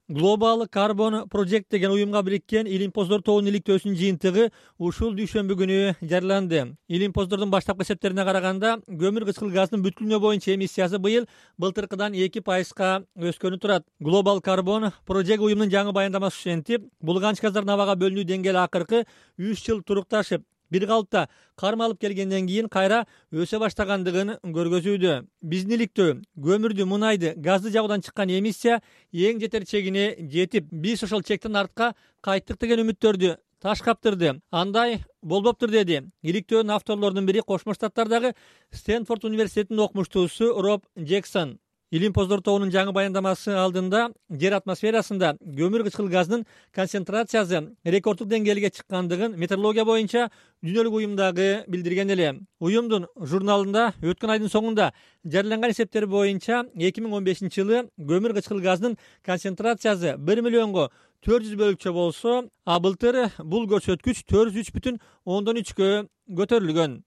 Global Carbon Project деген уюмга бириккен Илимпоздор тоонун иликтөөсүнүн жыйынтыгы ушул дүйшөмбү күнү жарыяланды. Илимпоздордун баштапкы эсептерине караганда, көмүр кычкыл газынын бүт дүйнө боюнча эмиссиясы быйыл былтыркыдан 2%га өскөнү турат. Global Carbon Project уюмунун жаңы баяндамасы ушентип, бул канча газдардын абага бөлүнүү деңгээли акыркы 3 жыл турукташып, бир калыпта кармалып келгенден кийин кайра өсө баштагандыгын көргөзүүдө. Биздин иликтөө көмүрдү, мунайды, газды жагуудан чыккан эмиссия эң жетер чегине жетип, биз ошол чектен артка кайттык деген үмүттөрдү таш каптырды. Андай болбоптур деди иликтөөнүн авторлорунун бири Кошмо Штаттардагы Стэнфорд университетинин окумуштуусу Роб Джексон. Илимпоздор тоонун жаңы баяндамасы алдында жер атмосферасында көмүр кычкыл газынын концентрациясы рекорддук деңгээлге чыккандыгын метеорология боюнча дүйнөлүк уюмдагы билдирген эле. Уюмдун журналында өткөн айдын соңунда жарыяланган эсептер боюнча 2015 жылы көмүр кычкыл газынын концентрациясы 1 миллионго 400 бөлүкчө болсо, а былтыр бул көрсөткүч 403,3гө көтөрүлгөн.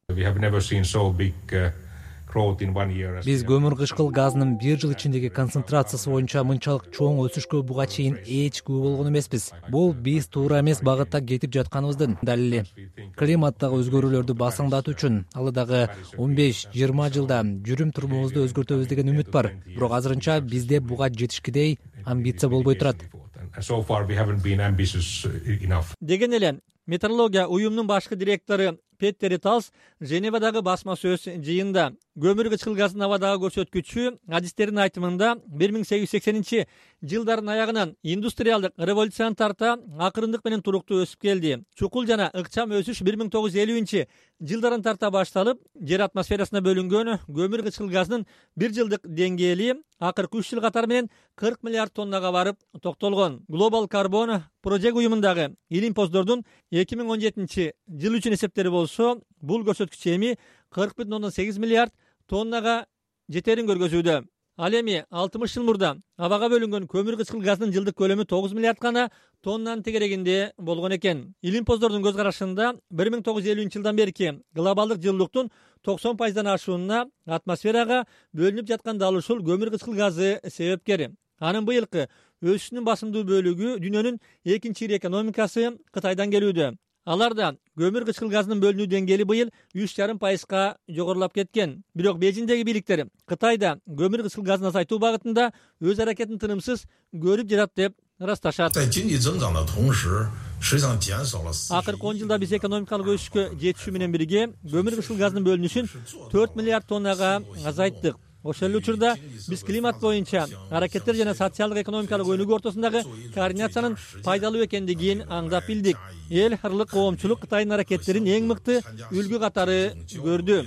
Биз көмүр кычкыл газынын бир жыл ичиндеги концентрациясы боюнча мынчалык чоң өсүшкө буга чейин эч күбө болгон эмеспиз. Бул биз туура эмес багытта кетип жатканыбыздын далили. Климаттагы өзгөрүүлөрдү басыңдатуу үчүн алдыдагы 15-20 жылда жүрүм турумубузду өзгөртөбүз деген үмүт бар. Бирок азырынча бизде буга жетишкидей амбиция болбой турат. Деген эле метеорология уюмунун башкы директору Петтери Талс Женевадагы басма сөз жыйында көмүр кычкыл газынын абадагы көрсөткүчү адистердин айтымында 1880 жылдардын аягынан индустриалдык революцияны тарта акырындык менен туруктуу өсүп келди. Чукул жана ыкчам өсүш 1950 жылдарын тарта башталып, жер атмосферасына бөлүнгөн көмүр кычкыл газынын бир жылдык деңгээли акыркы 3 жыл катары менен 40 миллиард тоннага барып токтолгон. Global Carbon Project уюмундагы Илимпоздордун 2017 жыл үчүн эсептери болсо, бул көрсөткүч эми 40,8 миллиард тоннага жетерин көргөзүүдө. Ал эми 60 жыл мурда абага бөлүнгөн көмүр кычкыл газынын жылдык көлөмү 9 миллиард гана тоннанын тегерегинде болгон экен. Илимпоздордун көз карашында 1950 жылдан берки глобалдык жылуулуктун 90%дан ашуунуна атмосферага бөлүнүп жаткан дал ушул көмүр кычкыл газы себепкер. Анын быйылкы өсүшүнүн басымдуу бөлүгү дүйнөнүн экинчи ири экономикасы Кытайдан келүүдө. Аларда көмүр кычкыл газынын бөлүнүү деңгээли быйыл 3,5%га жогорулап кеткен. Бирок Бейжиңдеги бийликтер Кытайда көмүр кычкыл газын азайтуу багытында өз аракетин тынымсыз көрүп жатат деп ырасташат. Акыркы 10 жылда биз экономикалык өсүшкө жетишүү менен бирге көмүр кычкыл газынын бөлүнүшүн 4 миллиард тоннага азайттык. Ошол эле учурда биз климат боюнча аракеттер жана социалдык экономикалык өнүгүү ортосундагы координациянын пайдалуу экендигин аңдап билдик. Эл аралык коомчулук Кытайдын аракеттерин эң мыкты үлгү катары көрдү.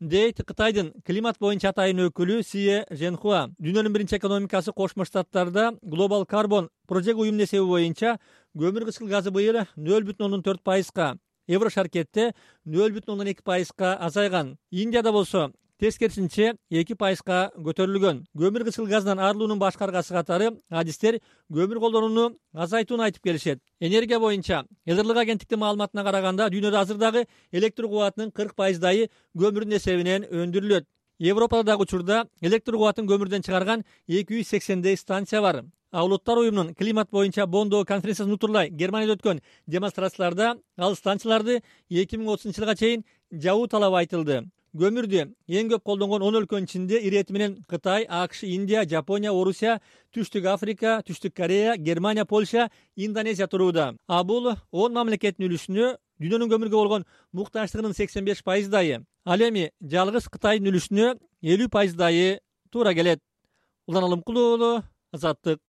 Дейт Кытайдын климат боюнча атайын өкүлү Сие Женхуа. Дүйнөнүн биринчи экономикасы Кошмо Штаттарда Global Carbon Project уюмунун эсеби боюнча көмүр кычкыл газы быйыл 0,4%га, Евро шаркетте 0,2%га азайган. Индияда болсо тескерисинче 2%га көтөрүлгөн. Көмүр кычкыл газынан арылуунун башкы аргасы катары адистер көмүр колдонууну азайтууну айтып келишет. Энергия боюнча Элдерлик агенттиктин маалыматына караганда, дүйнөдө азырдагы электр кубатынын 40%ы көмүрдүн эсебинен өндүрүлөт. Европада дагы учурда электр кубатын көмүрдөн чыгарган 280 станция бар. Улуттар уюмунун климат боюнча Бондо конференциясын утурлай Германияда өткөн демонстрацияларда ал станцияларды 2030 жылга чейин жабуу талабы айтылды. Көмүрдү эң көп колдонгон 10 өлкөнүн ичинде ирети менен Кытай, АКШ, Индия, Жапония, Орусия, Түштүк Африка, Түштүк Корея, Германия, Польша, Индонезия турууда. А бул 10 мамлекеттин үлүшүнө дүйнөнүн көмүргө болгон муктаждыгынын 85%. Ал эми жалгыз Кытайдын үлүшүнө 50% туура келет. Улан Алымкулуу, Азаттык.